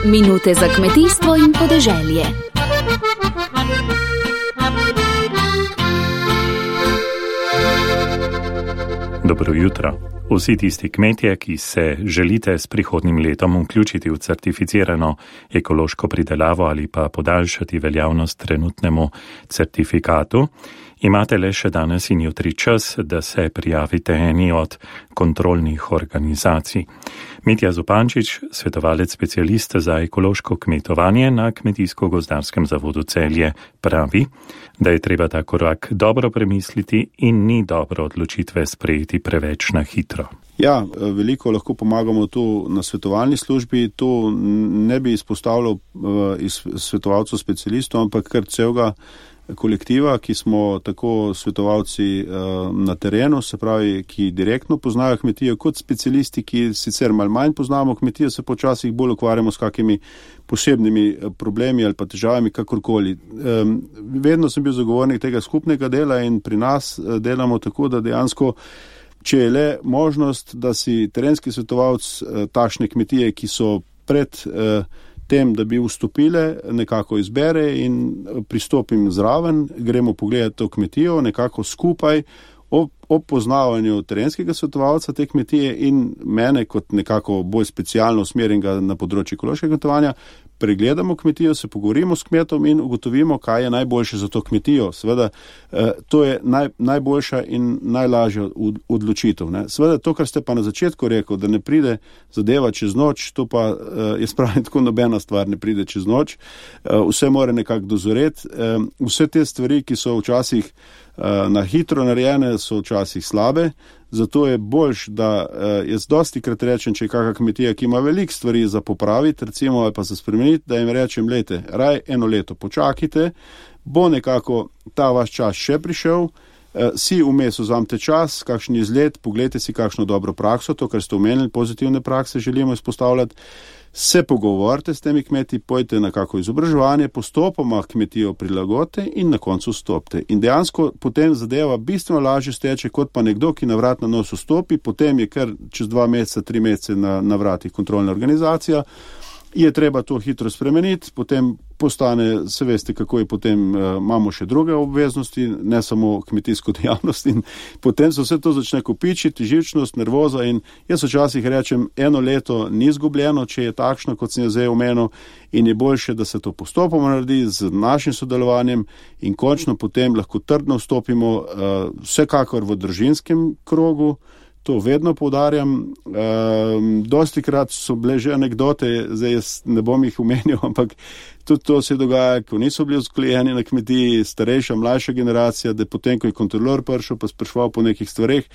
Minute za kmetijstvo in podeželje. Dobro jutro. Vsi tisti kmetje, ki se želite s prihodnjim letom vključiti v certificirano ekološko pridelavo ali pa podaljšati veljavnost trenutnemu certifikatu, imate le še danes in jutri čas, da se prijavite eni od kontrolnih organizacij. Mitja Zupančič, svetovalec specialist za ekološko kmetovanje na Kmetijsko-gozdarskem zavodu Celje, pravi, da je treba ta korak dobro premisliti in ni dobro odločitve sprejeti preveč na hitro. Ja, veliko lahko pomagamo tu na svetovalni službi. Tu ne bi izpostavljal svetovalcev specialistov, ampak kar celega kolektiva, ki smo tako svetovalci na terenu, se pravi, ki direktno poznajo kmetijo, kot specialisti, ki sicer malo manj poznamo kmetijo, se počasih bolj ukvarjamo s kakimi posebnimi problemi ali pa težavami, kakorkoli. Vedno sem bil zagovornik tega skupnega dela in pri nas delamo tako, da dejansko, če je le možnost, da si terenski svetovalc takšne kmetije, ki so pred tem, da bi vstopile, nekako izbere in pristopim zraven, gremo pogledati to kmetijo, nekako skupaj ob poznavanju terenskega svetovalca te kmetije in mene kot nekako bolj specialno usmerjenega na področju ekološkega kmetovanja, pregledamo kmetijo, se pogovorimo s kmetom in ugotovimo, kaj je najboljše za to kmetijo. Seveda, to je najboljša in najlažja odločitev. Ne. Seveda, to, kar ste pa na začetku rekel, da ne pride zadeva čez noč, to pa je spravljeno tako nobena stvar ne pride čez noč. Vse mora nekako dozoreti. Vse te stvari, ki so včasih na hitro narejene, so včasih slabe. Zato je boljš, da jaz dosti krat rečem, če je kakšna kmetija, ki ima veliko stvari za popraviti, recimo, ali pa za spremeniti, da jim rečem, lejte, raj eno leto počakajte, bo nekako ta vaš čas še prišel, si vmes vzamete čas, kakšen izlet, pogledajte si kakšno dobro prakso, to, kar ste omenili, pozitivne prakse želimo izpostavljati, se pogovorite s temi kmeti, pojte na kako izobraževanje, postopoma kmetijo prilagodite in na koncu stopite. In dejansko potem zadeva bistveno lažje steče, kot pa nekdo, ki na vrat na nos vstopi, potem je kar čez 2 meseca, 3 mesece na vratih kontrolna organizacija, je treba to hitro spremeniti, potem postane, se veste, kako je potem, imamo še druge obveznosti, ne samo kmetijsko dejavnost in potem se vse to začne kopičiti, živčnost, nervoza in jaz včasih rečem, eno leto ni izgubljeno, če je takšno, kot sem je zdaj omenil in je boljše, da se to postopoma naredi z našim sodelovanjem in končno potem lahko trdno vstopimo vsekakor v družinskem krogu. To vedno poudarjam. Dosti krat so bile že anekdote, zdaj jaz ne bom jih omenil, ampak tudi to se dogaja, ko niso bili vzgojeni na kmetiji, starejša, mlajša generacija, da potem, ko je kontrolor prišel, pa spraševal po nekih stvareh,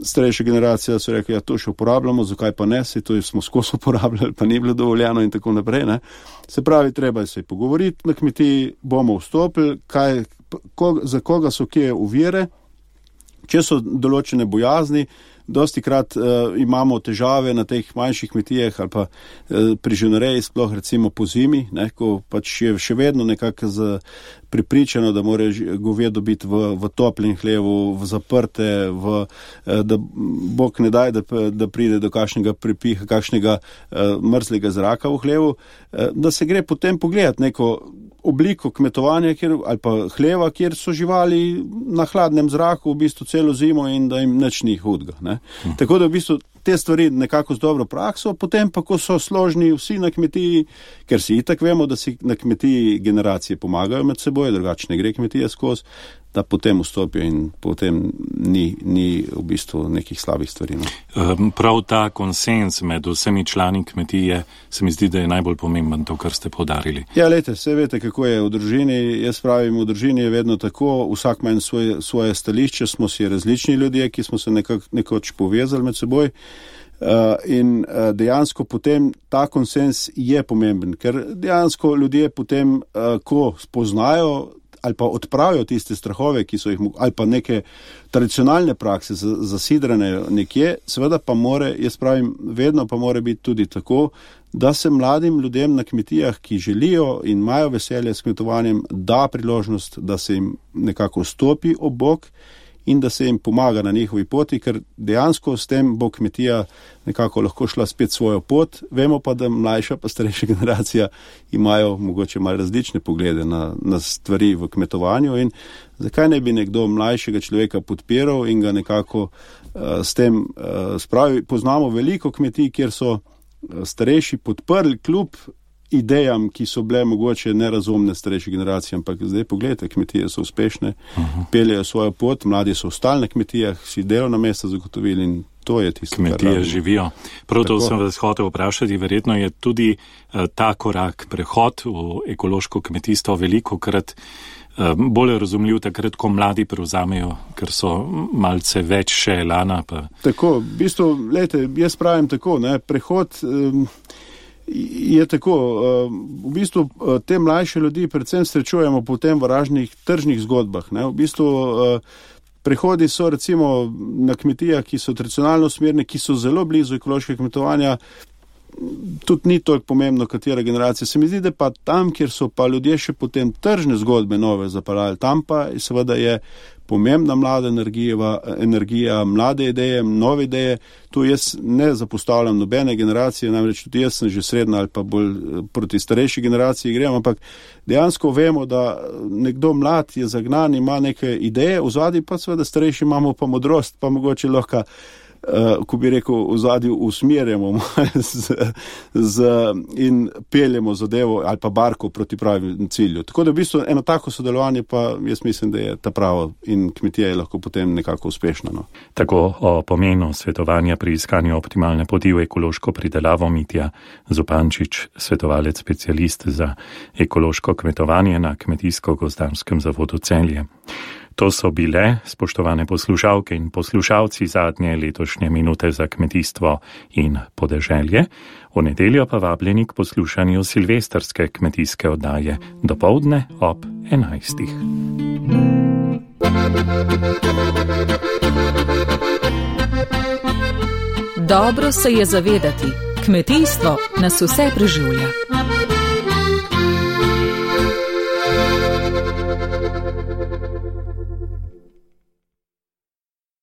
starejša generacija so rekli, ja, to še uporabljamo, zakaj pa ne, se to smo skozi uporabljali, pa ni bilo dovoljeno in tako naprej. Ne. Se pravi, treba se pogovoriti na kmetiji, bomo vstopili, za koga so kje ovire. Če so določene bojazni, dosti krat imamo težave na teh manjših kmetijah ali pa pri živinoreji, sploh recimo po zimi, ne, ko pač je še vedno nekako pripričano, da mora govedo biti v toplem hlevu, v zaprte, da Bog ne daj, da pride do kakšnega pripiha, kakšnega mrzlega zraka v hlevu, da se gre potem pogledati neko obliko kmetovanja ali pa hleva, kjer so živali na hladnem zraku v bistvu celo zimo in da jim nič ni hudga. Ne? Tako da v bistvu te stvari nekako z dobro prakso, potem pa, ko so složni vsi na kmetiji, ker si itak vemo, da si na kmetiji generacije pomagajo med seboj, drugače ne gre kmetija skozi, da potem vstopijo in potem ni v bistvu nekih slabih stvari. No. Prav ta konsens med vsemi člani kmetije se mi zdi, da je najbolj pomemben to, kar ste poudarili. Ja, lejte, vse veste, kako je v družini. Jaz pravim, v družini je vedno tako, vsak ima svoje stališče, smo si različni ljudje, ki smo se nekoč povezali med seboj. In dejansko potem ta konsens je pomemben, ker dejansko ljudje potem, ko spoznajo ali pa odpravijo tiste strahove, ki so jih, ali pa neke tradicionalne prakse zasidrane nekje, seveda pa jaz pravim, vedno pa mora biti tudi tako, da se mladim ljudem na kmetijah, ki želijo in imajo veselje s kmetovanjem, da priložnost, da se jim nekako stopi ob bok in da se jim pomaga na njihovi poti, ker dejansko s tem bo kmetija nekako lahko šla spet svojo pot. Vemo pa, da mlajša pa starejša generacija imajo mogoče malo različne poglede na stvari v kmetovanju in zakaj ne bi nekdo mlajšega človeka podpiral in ga nekako s tem spravi. Poznamo veliko kmetij, kjer so starejši podprli kljub idejam, ki so bile mogoče nerazumne starejše generacije, ampak zdaj pogledajte, kmetije so uspešne, peljejo svojo pot, mladi so ostali na kmetijah, si delovna mesta zagotovili in to je tisto, kmetije živijo. Prav to sem vas hotel vprašati, verjetno je tudi ta korak, prehod v ekološko kmetijstvo velikokrat bolj razumljiv takrat, ko mladi prevzamejo, ker so malce več še elana. Pa... Tako, v bistvu, gledajte, jaz pravim tako, prehod je tako, v bistvu te mlajše ljudi predvsem srečujemo potem v raznih tržnih zgodbah. V bistvu prehodi so recimo na kmetijah, ki so tradicionalno usmerjene, ki so zelo blizu ekološkega kmetovanja, tudi ni toliko pomembno, katera generacija. Se mi zdi, da pa tam, kjer so pa ljudje še potem tržne zgodbe nove zaparali, tam pa seveda je pomembna mlada energija, mlade ideje, nove ideje. Tu jaz ne zapostavljam nobene generacije, namreč tudi jaz sem že srednja ali pa bolj proti starejši generaciji grem, ampak dejansko vemo, da nekdo mlad je zagnan, ima neke ideje, v zadnji pa seveda starejši imamo pa modrost, pa mogoče lahko ko bi rekel, v zadju usmerjamo in peljemo zadevo ali pa barko proti pravim cilju. Tako da v bistvu eno tako sodelovanje pa jaz mislim, da je ta pravo in kmetija je lahko potem nekako uspešna. No. Tako o pomenu svetovanja pri iskanju optimalne poti v ekološko pridelavo Mitja Zupančič, svetovalec specialist za ekološko kmetovanje na Kmetijsko-gozdarskem zavodu Celje. To so bile, spoštovane poslušalke in poslušalci, zadnje letošnje minute za kmetijstvo in podeželje. V nedeljo pa vabljeni k poslušanju silvestrske kmetijske oddaje dopoldne ob 11. Dobro se je zavedati, kmetijstvo nas vse preživlja.